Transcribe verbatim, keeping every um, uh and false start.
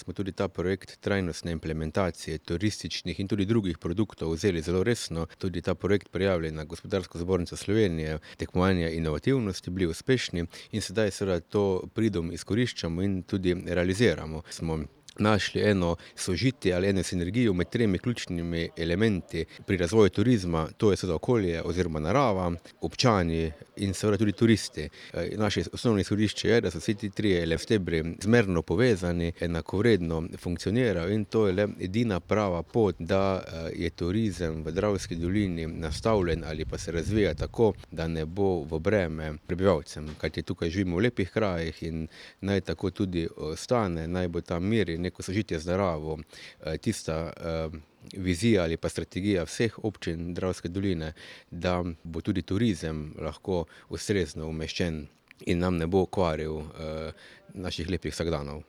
Smo tudi ta projekt trajnostne implementacije turističnih in tudi drugih produktov vzeli zelo resno. Tudi ta projekt prijavili na Gospodarsko zbornico Slovenije, tekmovanje inovativnosti, bili uspešni in sedaj seveda to pridom izkoriščamo in tudi realiziramo. Smo našli eno sožitje ali eno sinergijo med tremi ključnimi elementi pri razvoju turizma, to je seveda okolje oziroma narava, občani in seveda tudi turisti. Naše osnovno izhodišče je, da so vsi ti trije stebri zmerno povezani, enakovredno funkcionirajo in to je le edina prava pot, da je turizem v Dravski dolini nastavljen ali pa se razvija tako, da ne bo v breme prebivalcem, kajti tukaj živimo v lepih krajih in naj tako tudi ostane, naj bo tam mir in neko sožitje z naravo, tista vizija ali pa strategija vseh občin Dravske doline, da bo tudi turizem lahko ustrezno umeščen in nam ne bo kvaril naših lepih vsakdanov.